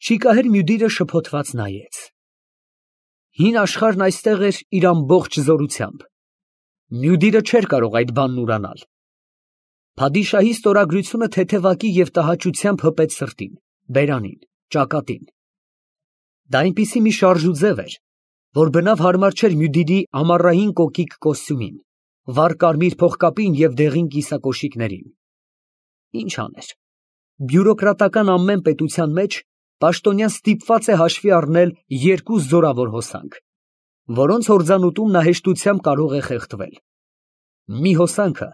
Շիկահեր Մյուդիրը շփոթված նայեց։ Հին աշխարհն այստեղ էր իր ամբողջ զորությամբ։ Մյուդիրը չէր կարող այդ բանն ուրանալ։ Փադիշահի ստորագրությունը թեթևակի և տհաճությամբ հպեց սրտին, բերանին, ճակատին։ Դա այնպիսի մի շարժուձև էր, որ բնավ հարմար չէր Մյուդիրի ամառային կոկիկ կոստյումին, վառ կարմիր փողկապին և դեղին կիսակոշիկներին։ Ինչ աներ։ Բյուրոկրատական ամեն պետության մեջ պաշտոնյան ստիպված է հաշվի առնել երկու զորավոր հոսանք, որոնց հորձանուտում նա հեշտությամբ կարող է խեղդվել։ Մի հոսանքը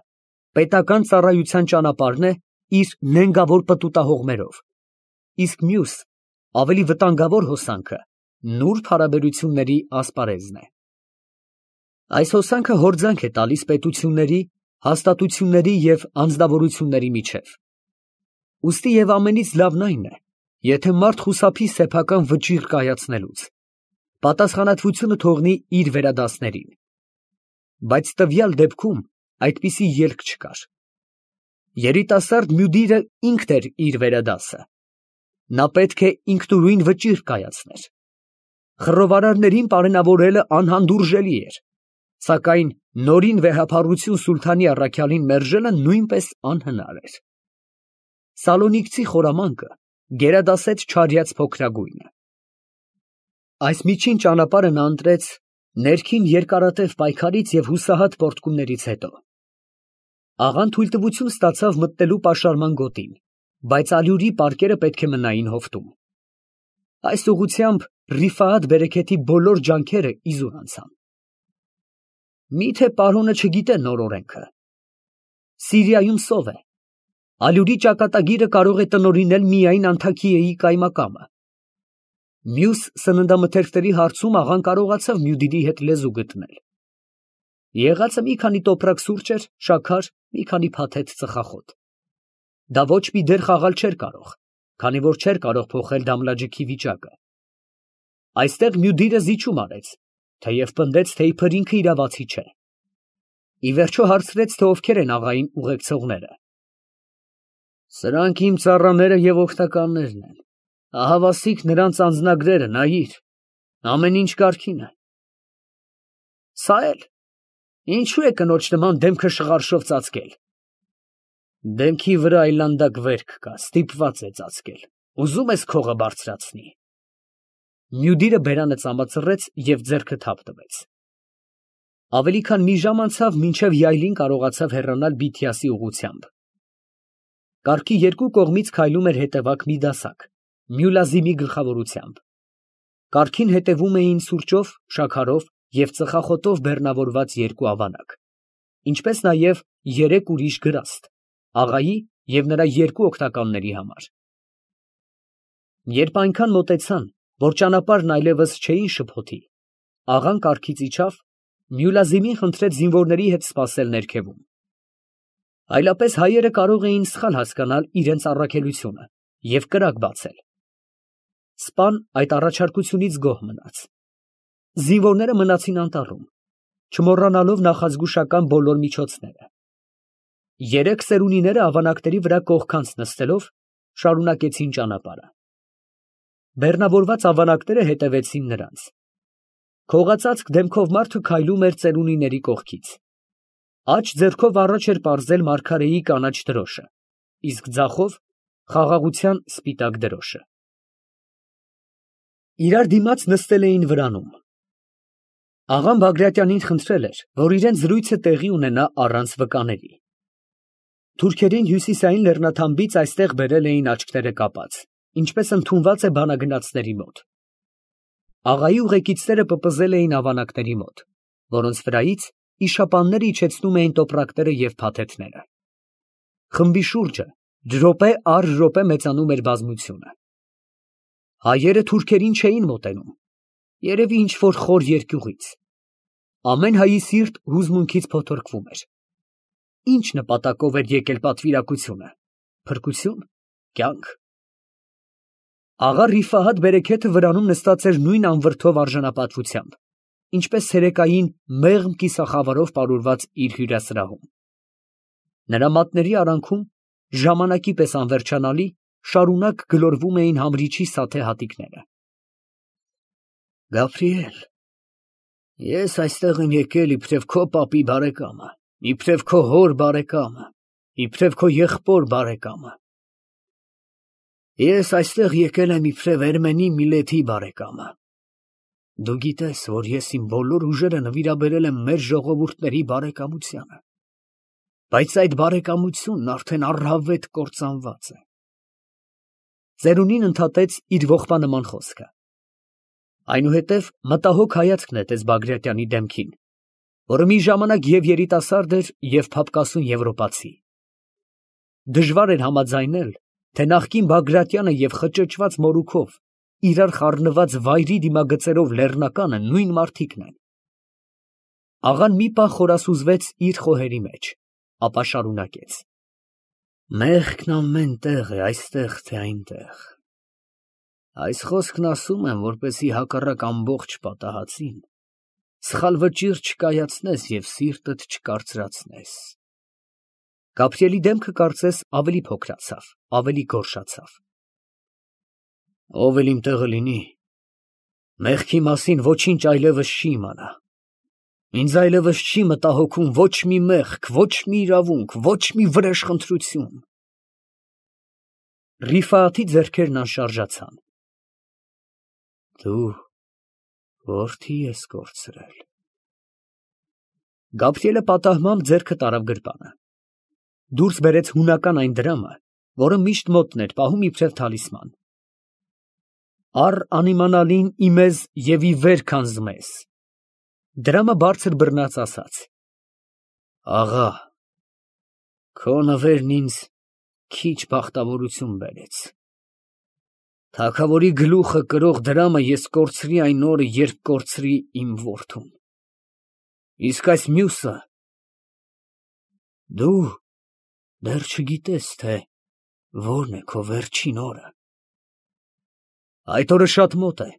պետական ծառայության ճանապարհն է իր նենգավոր պտուտահողմերով, իսկ մյուս, ավելի վտանգավոր հոսանքը նուրբ հարաբերությունների ասպարեզն է։ Այս հոսանքը հորձանք է տալիս պետությունների, հաստատությունների և անձնավորությունների միջև։ Ուստի և ամենից լավն այն է, եթե մարդ խուսափի սեփական վճիռ կայացնելուց, պատասխանատվությունը թողնի իր վերադասներին։ Բայց տվյալ դեպքում այդպիսի ելք չկար։ Երիտասարդ Մյուդիրը ինքն էր իր վերադասը։ Նա պետք է ինքնուրույն վճիռ կայացներ։ Խռովարարներին պարենավորելը անհանդուրժելի էր, սակայն նորին վեհափառություն սուլթանի առաքյալին մերժելը նույնպես անհնար էր։ Սալոնիկցի խորամանկը գերադասեց չարյաց փոքրագույնը։ Այս միջին ճանապարհը նա ընտրեց ներքին երկարատև պայքարից և հուսահատ պոռթկումներից հետո։ Աղան թույլտվություն ստացավ մտնելու պաշարման գոտին, բայց ալյուրի պարկերը պետք է մնային հովտում։ Այս ուղղությամբ Ռիֆահաթ բերեքեթի բոլոր ջանքերը իզուր անցան։ Միթե պարոնը չգիտե նոր օրենքը։ Սիրիայում սով է։ Ալյուրի ճակատագիրը կարող է տնօրինել միայն Անթաքիեի կայմակամը։ Մյուս սննդամթերքների հարցում աղան կարողացավ Մյուդիրի հետ լեզու գտնել։ Եղածը մի քանի տոպրակ սուրճ էր, շաքար, մի քանի փաթեթ ծխախոտ։ Դա ոչ մի դեր խաղալ չէր կարող, քանի որ չէր կարող փոխել Դամլաջիքի վիճակը։ Այստեղ Մյուդիրը զիջում արեց, թեև պնդեց, թե իբր ինքը իրավացի չէ։ Ի վերջո հարցրեց, թե ովքեր են աղային ուղեկցողները։ Սրանք իմ ծառաները և օգնականներն են։ Ահավասիկ նրանց անձնագրերը, նայիր, ամեն ինչ կարգին է։ Սա էլ, ինչու է կնոջ նման դեմքը շղարշով ծածկել։ Դեմքի վրա այլանդակ վերք կա, ստիպված է ծածկել, ուզում ես քողը բարձրացնի։ Մյուդիրը բերանը ծամացրեց և ձեռքը թափ տվեց։ Ավելի քան մի ժամ անցավ, մինչև յայլին կարողացավ հեռանալ Բիթիասի ուղղությամբ։ Կառքի երկու կողմից քայլում էր հետևակ մի դասակ, Մյուլազիմի գլխավորությամբ։ Կառքին հետևում էին սուրճով, շաքարով և ծխախոտով բեռնավորված երկու ավանակ, ինչպես նաև երեք ուրիշ գրաստ, աղայի և նրա երկու օգնականների համար։ Երբ այնքան մոտեցան, որ ճանապարհն այլևս չէին շփոթի, աղան կառքից իջավ, Մյուլազիմին խնդրեց զինվորների հետ սպասել ներքևում։ Այլապես հայերը կարող էին սխալ հասկանալ իրենց առաքելությունը և կրակ բացել։ Սպան այդ առաջարկությունից գոհ մնաց։ Զինվորները մնացին անտառում, չմոռանալով նախազգուշական բոլոր միջոցները։ Երեք սերունիները ավանակների վրա կողքանց նստելով շարունակեցին ճանապարհը։ Բեռնավորված ավանակները հետևեցին նրանց։ Քողածածկ դեմքով մարդը քայլում էր ծերունիների կողքից։ Աջ ձեռքով առաջ էր պարզել մարգարեի կանաչ դրոշը, իսկ ձախով խաղաղության սպիտակ դրոշը։ Իրար դիմաց նստել էին վրանում։ Աղան Բագրատյանին խնդրել էր, որ իրենց զրույցը տեղի ունենա առանց վկաների։ Թուրքերին հյուսիսային լեռնաթամբից այստեղ բերել էին աչքերը կապած, ինչպես ընդունված է բանագնացների մոտ։ Աղայի ուղեկիցները պպզել էին ավանակների մոտ, որոնց վրայից իշապանները իջեցնում էին տոպրակները և փաթեթները։ Խմբի շուրջը րոպե առ րոպե մեծանում էր բազմությունը։ Հայերը թուրքերին չէին մոտենում, երևի ինչ֊որ խոր երկյուղից։ Ամեն հայի սիրտ հուզմունքից փոթորկվում էր։ Ինչ նպատակով էր եկել պատվիրակությունը։ Փրկություն, կյանք։ Աղա Ռիֆահաթ բերեքեթը վրանում նստած էր նույն անվրդով արժանապատվությամբ, ինչպես ցերեկային մեղմ կիսախավարով պարուրված իր հյուրասրահում։ Նրա մատների արանքում, ժամանակի պես անվերջանալի, շարունակ գլորվում էին համրիչի սաթե հատիկները։ Գաբրիել, ես այստեղ եմ եկել իբրև քո պապի բարեկամը, իբրև քո հոր բարեկամը, իբրև քո եղբոր բարեկամը։ Ես այստեղ եկել եմ իբրև Էրմենի Միլեթի բարեկամը։ Դու գիտես, որ ես իմ բոլոր ուժերը նվիրաբերել եմ մեր ժողովուրդների բարեկամությանը, բայց այդ բարեկամությունն արդեն առհավետ կործանված է։ Ծերունին ընդհատեց իր ողբանման խոսքը։ Այնուհետև մտահոգ հայացք նետեց Բագրատյանի դեմքին, որը մի ժամանակ և երիտասարդ էր, և փափկասուն եվրոպացի։ Դժվար էր համաձայնել, թե նախկին Բագրատյանը և խճճված մորուքով իրար խառնված վայրի դիմագծերով լեռնականը նույն մարդիկն են։ Աղան մի պահ խորասուզվեց իր խոհերի մեջ, ապա շարունակեց. Մեղքն ամեն տեղ է, այստեղ թե այնտեղ։ Այս խոսքն ասում եմ, որպեսզի հակառակ ամբողջ պատահածին սխալ վճիռ չկայացնես և սիրտդ չկարծրացնես։ Գաբրիելի դեմքը կարծես ավելի փոքրացավ, ավելի գորշացավ։ Ով էլ իմ տեղը լինի, մեղքի մասին ոչինչ այլևս չի իմանա։ Ինձ այլևս չի մտահոգում ոչ մի մեղք, ոչ մի իրավունք, ոչ մի վրեժխնդրություն։ Ռիֆայաթի ձեռքերն անշարժացան։ Դու որդի ես կորցրել։ Գաբրիելը պատահմամբ ձեռքը տարավ գրպանը։ Դուրս բերեց հունական այն դրամը, որը միշտ մոտն էր պահում իբրև թալիսման։ Առ անիմանալին իմեզ և ի վեր քանզմես։ Դրամը բարձր բռնած ասաց. Աղա, քո նվերն ինձ քիչ բախտավորություն բերեց։ Թագավորի գլուխը կրող դրամը ես կորցրի այն օրը, երբ կորցրի իմ որդուն։ Իսկ այս մյուսը… Դու դեռ չգիտես, թե որն է քո վերջին օրը։ Այդ օրը շատ մոտ է,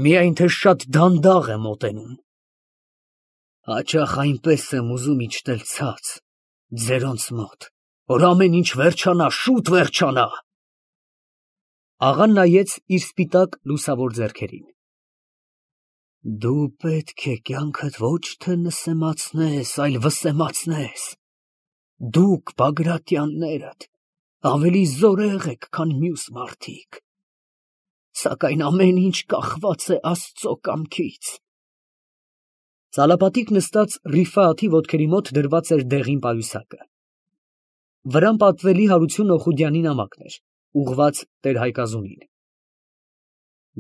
միայն թե շատ դանդաղ է մոտենում։ Հաճախ այնպես եմ ուզում իջնել ցած, ձերոնց մոտ, որ ամեն ինչ վերջանա, շուտ վերջանա։ Աղան նայեց իր սպիտակ լուսավոր ձեռքերին։ Դու պետք է կյանքդ ոչ թե նսեմացնես, այլ վսեմացնես։ Դուք, Բագրատյաններդ, ավելի զորեղ եք, քան մյուս մարդիկ, սակայն ամեն ինչ կախված է Աստծո կամքից։ Ծալապատիկ նստած Ռիֆայաթի ոտքերի մոտ դրված էր դեղին պայուսակը։ Վրան պատվելի Հարություն Օխուդյանի նամակն էր, ուղղված տեր-Հայկազունին։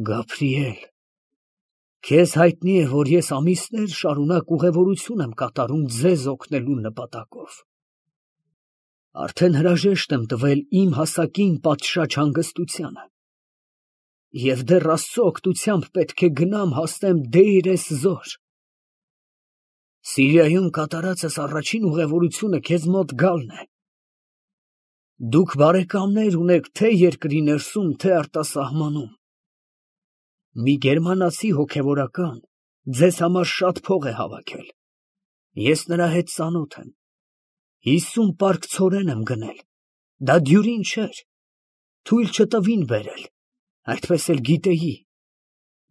Գաբրիել, քեզ հայտնի է, որ ես ամիսներ շարունակ ուղևորություն եմ կատարում ձեզ օգնելու նպատակով։ Արդեն հրաժեշտ եմ տվել իմ հասակին պատշաճ հանգստությանը, և դեռ Աստծո օգնությամբ պետք է գնամ հասնեմ Դեյր ez-Զոր։ Սիրիայում կատարածս առաջին ուղևորությունը քեզ մոտ գալն է։ Դուք բարեկամներ ունեք թե երկրի ներսում, թե արտասահմանում։ Մի գերմանացի հոգևորական ձեզ համար շատ փող է հավաքել։ Ես նրա հետ ծանոթ եմ։ 50 պարկ ցորեն եմ գնել։ Դա դյուրին չէր։ Թույլ չտվին բերել, այդպես էլ գիտեի,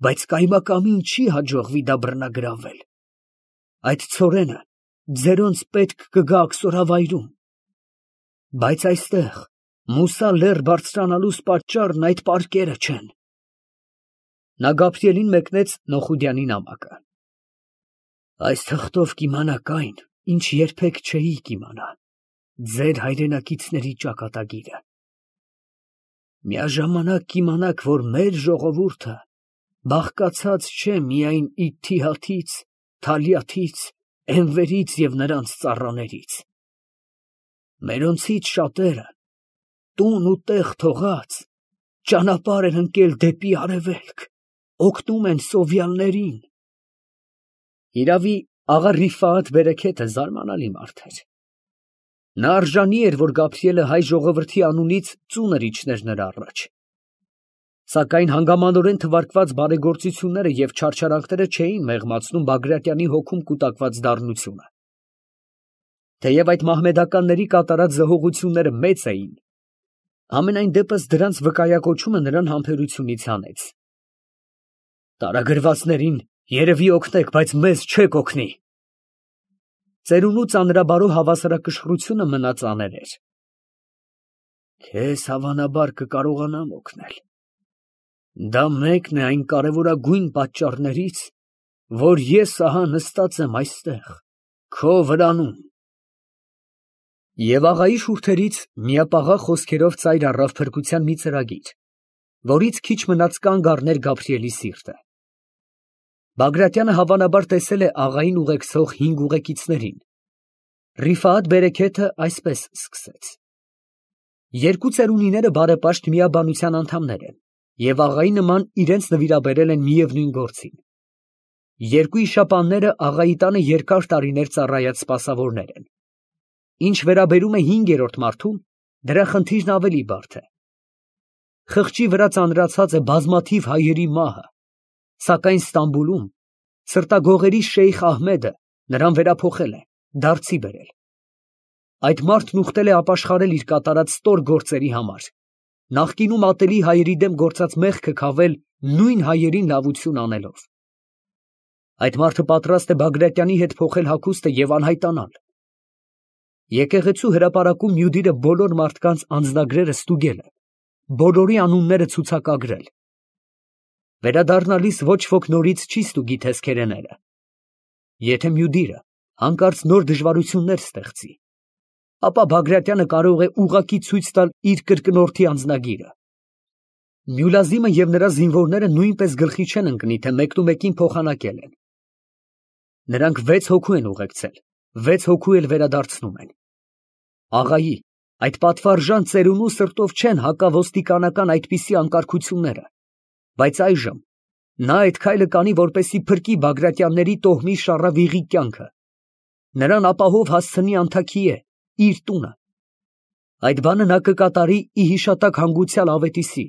բայց կայմակամին չի հաջողվի դա բռնագրավել։ Այդ ցորենը ձերոնց պետք կգա աքսորավայրում։ Բայց այստեղ Մուսա լեռ բարձրանալուս պատճառն այդ պարկերը չեն։ Նա Գաբրիելին մեկնեց Նոխուդյանի նամակը։ Այս թղթով կիմանաք այն, ինչ երբեք չէիք իմանա, ձեր հայրենակիցների ճակատագիրը։ Միաժամանակ կիմանաք, որ մեր ժողովուրդը բաղկացած չէ միայն Իթիհադից, Թալիաթից, Էնվերից և նրանց ծառաներից։ Մերոնցից շատերը, տուն ու տեղ թողած, ճանապարհ են ընկել դեպի արևելք, օգնում են սովյալներին։ Իրավի, աղա Ռիֆայաթ Բերեքեթը զարմանալի մարդ էր։ Նա արժանի էր, որ Գաբրիելը հայ ժողովրդի անունից ծունր իջներ նրա առաջ։ Սակայն հանգամանորեն թվարկված բարեգործությունները և չարչարանքները չէին մեղմացնում Բագրատյանի հոգում կուտակված դառնությունը։ Թեև այդ մահմեդականների կատարած զհողությունները մեծ էին, Ամենայն դեպս դրանց վկայակոչումը նրան համբերությունից հանեց։ Տարագրվածներին երևի օգնեք, բայց մեզ չեք օգնի։ Ծերունու ծանրաբարո հավասարակշռությունը մնաց աներեր։ Քեզ հավանաբար կկարողանամ օգնել։ Դա մեկն է այն կարևորագույն պատճառներից, որ ես ահա նստած եմ այստեղ, քո վրանում։ Եվ աղայի շուրթերից միապաղաղ խոսքերով ծայր առավ փրկության մի ծրագիր, որից քիչ մնաց կանգ առներ Գաբրիելի սիրտը։ Բագրատյանը հավանաբար տեսել է աղային ուղեկցող 5 ուղեկիցներին։ Ռիֆաաթ Բերեքեթը այսպես սկսեց. երկու ծերունիները բարեպաշտ միաբանության անդամներ են և աղայի նման իրենց նվիրաբերել են միևնույն գործին։ Երկու իշապանները աղայի տանը երկար տարիներ ծառայած սպասավորներ են։ Ինչ վերաբերում է 5-րդ մարդուն, դրա խնդիրն ավելի բարդ է։ Խղճի վրա ծանրացած է բազմաթիվ հայերի մահը, սակայն Ստամբուլում սրտագողերի շեյխ Ահմեդը նրան վերափոխել է, դարձի բերել։ Այդ մարդն ուխտել է ապաշխարել իր կատարած ստոր գործերի համար, նախկինում ատելի հայերի դեմ գործած մեղքը քավել նույն հայերին լավություն անելով։ Այդ մարդը պատրաստ է Բագրատյանի հետ փոխել հագուստը և անհայտանալ։ Եկեղեցու հրապարակում Մյուդիրը բոլոր մարդկանց անձնագրերը ստուգել է, բոլորի անունները ցուցակագրել։ Վերադառնալիս ոչ ոք նորից չի ստուգի թեսքերեները։ Եթե Մյուդիրը հանկարծ նոր դժվարություններ ստեղծի, ապա Բագրատյանը կարող է ուղղակի ցույց տալ իր կրկնորդի անձնագիրը։ Մյուլազիմը և նրա զինվորները նույնպես գլխի չեն ընկնի, թե մեկնումեկին փոխանակել են։ Նրանք 6 հոգու են ուղեկցել, 6 հոգու էլ վերադարձնում են։ Աղայի, այդ պատվարժան ծերունու սրտով չեն հակավոստիկանական այդպիսի անկարգությունները, բայց այժմ նա այդ քայլը կանի, որպեսզի փրկի Բագրատյանների տոհմի շառավիղի կյանքը, նրան ապահով հասցնի Անթաքիե, իր տունը։ Այդ բանը նա կկատարի ի հիշատակ հանգուցյալ Ավետիսի,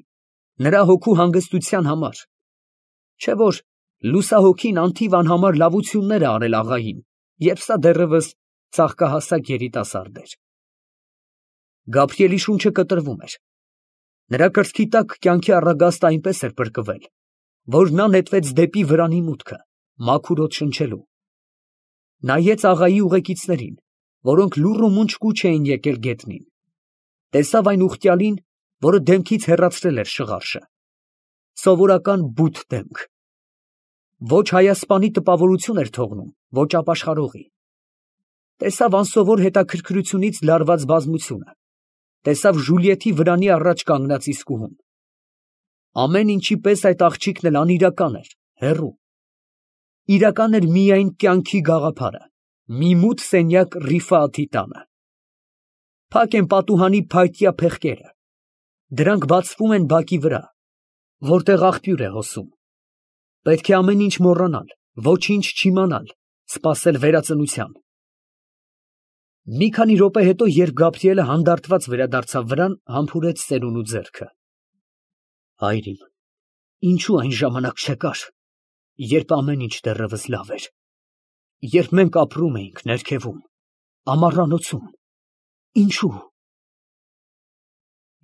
նրա հոգու հանգստության համար, չէ՞ որ լուսահոգին անթիվ անհամար լավություններ է արել աղային, երբ սա դեռևս ծաղկահասակ երիտասարդ էր։ Գաբրիելի շունչը կտրվում էր։ Նրա կրծքի տակ կյանքի առագաստը այնպես էր պրկվել, որ նա նետվեց դեպի վրանի մուտքը, մաքուր օդ շնչելու։ Նայեց աղայի ուղեկիցներին, որոնք լուռ ու մունջ կուչ էին եկել գետնին։ Տեսավ այն ուխտյալին, որը դեմքից հեռացրել էր շղարշը։ Սովորական բութ դեմք։ Ոչ հայասպանի տպավորություն էր թողնում, ոչ ապաշխարողի։ Տեսավ անսովոր հետաքրքրությունից լարված բազմությունը։ Տեսավ Ժուլիետի վրանի առաջ կանգնած իսկուհուն։ Ամեն ինչի պես այդ աղջիկն էլ անիրական էր, հեռու։ Իրական էր միայն կյանքի գաղափարը, մի մութ սենյակ Ռիֆաթի տանը։ Փակ են պատուհանի փայտյա փեղկերը։ Դրանք բացվում են բակի վրա, որտեղ աղբյուր է հոսում։ Պետք է ամեն ինչ մոռանալ, ոչինչ չիմանալ, սպասել վերածնության։ Մի քանի րոպե հետո, երբ Գաբրիելը հանդարտված վերադարձավ վրան, համբուրեց ծերունու ձեռքը։ Հայր իմ, ինչու այն ժամանակ չեկար, երբ ամեն ինչ դեռևս լավ էր, երբ մենք ապրում էինք ներքևում, ամառանոցում, ինչու։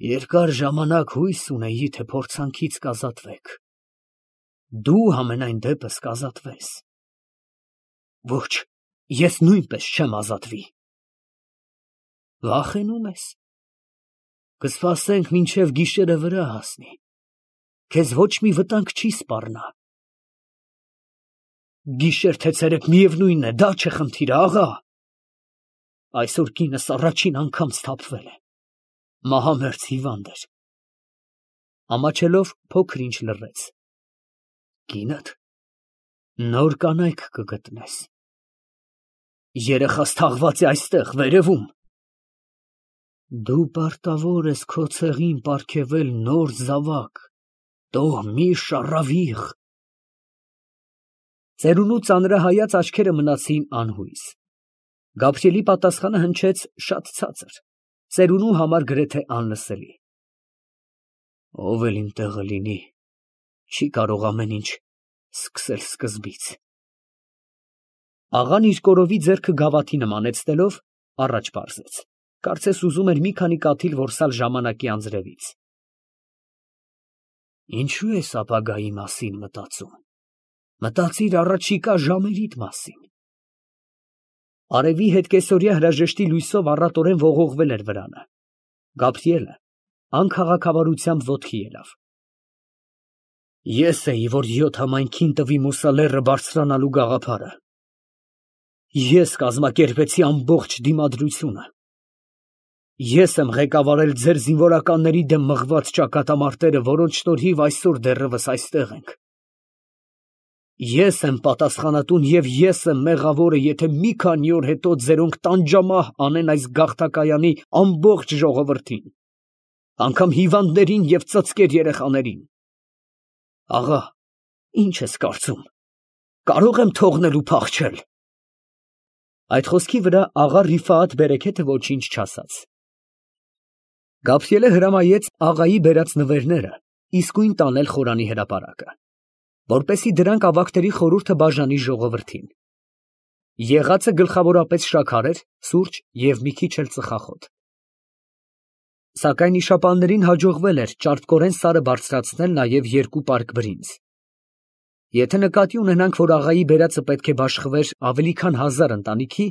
Երկար ժամանակ հույս ունեի, թե փորձանքից կազատվեք։ Դու համենայն դեպս կազատվես։ Ոչ, ես նույնպես չեմ ազատվի։ Վախենում ես։ Կսպասենք մինչև գիշերը վրա հասնի։ Քեզ ոչ մի վտանգ չի սպառնա։ Գիշեր թե ցերեկ միևնույն է, դա չէ խնդիրը, աղա։ Այսօր կինս առաջին անգամ սթափվել է։ Մահամերձ հիվանդ էր։ Ամաչելով փոքր ինչ լռեց։ Կինդ նոր կանայք կգտնես։ Երեխաս թաղված է այստեղ, վերևում։ Դու պարտավոր ես քո ցեղին պարգևել նոր զավակ, տոհմի շառավիղ։ Ծերունու ծանրահայաց աչքերը մնացին անհույս։ Գաբրիելի պատասխանը հնչեց շատ ցածր, ծերունու համար գրեթե անլսելի։ Ով էլ իմ տեղը լինի, չի կարող ամեն ինչ սկսել սկզբից։ Աղան իր կորովի ձեռքը գավաթի նմանեցնելով առաջ պարզեց։ Կարծես ուզում էր մի քանի կաթիլ որսալ ժամանակի անձրևից։ Ինչու ես ապագայի մասին մտածում։ Մտածիր առաջիկա ժամերիդ մասին։ Արևի հետ կեսօրյա հրաժեշտի լույսով առատորեն ողողվել էր վրանը։ Գաբրիելը անքաղաքավարությամբ ոտքի ելավ։ Ես էի, որ 7 համայնքին տվի Մուսալեռը բարձրանալու գաղափարը։ Ես կազմակերպեցի ամբողջ դիմադրությունը։ Ես եմ ղեկավարել ձեր զինվորականների դեմ մղված ճակատամարտերը, որոնց շնորհիվ այսօր դեռևս այստեղ ենք։ Ես եմ պատասխանատուն և ես եմ մեղավորը, եթե մի քանի օր հետո ձերոնք տանջամահ անեն այս գաղթակայանի ամբողջ ժողովրդին, անգամ հիվանդներին և ծծկեր երեխաներին։ Աղա, ի՞նչ ես կարծում, կարող եմ թողնել ու փախչել։ Այդ խոսքի վրա աղա Ռիֆաաթ բերեքեթը ոչինչ չասաց։ Գաբրիելը հրամայեց աղայի բերած նվերները իսկույն տանել խորանի հրապարակը, որպեսզի դրանք ավագների խորհուրդը բաժանի ժողովրդին։ Եղածը գլխավորապես շաքար էր, սուրճ և մի քիչ էլ ծխախոտ։ Սակայն իշապաններին հաջողվել էր ճարպկորեն սարը բարձրացնել նաև 2 պարկ բրինձ։ Եթե նկատի ունենանք, որ աղայի բերածը պետք է բաշխվեր ավելի քան 1000 ընտանիքի,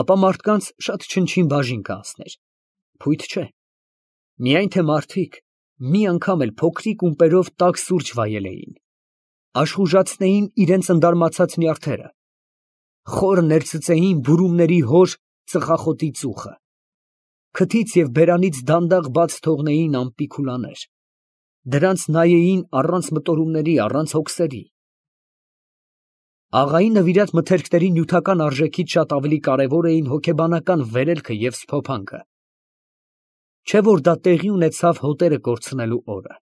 ապա մարդկանց շատ չնչին բաժին կհասներ։ Փույթ չէ։ Միայն թե մարդիկ մի անգամ էլ փոքրիկ ումպերով տաք սուրճ վայել էին, աշխուժացնեին իրենց ընդարմացած նյարդերը, խոր ներծծեին բուրումների հոր ծխախոտի ծուխը, քթից և բերանից դանդաղ բաց թողնեին ամպի քուլաներ, դրանց նայեին առանց մտորումների, առանց հոգսերի։ Աղայի նվիրած մթերքների նյութական արժեքից շատ ավելի կարևոր էին հոգեբանական վերելքը և սփոփանքը։ Չէ որ դա տեղի ունեցավ հոտերը կորցնելու օրը։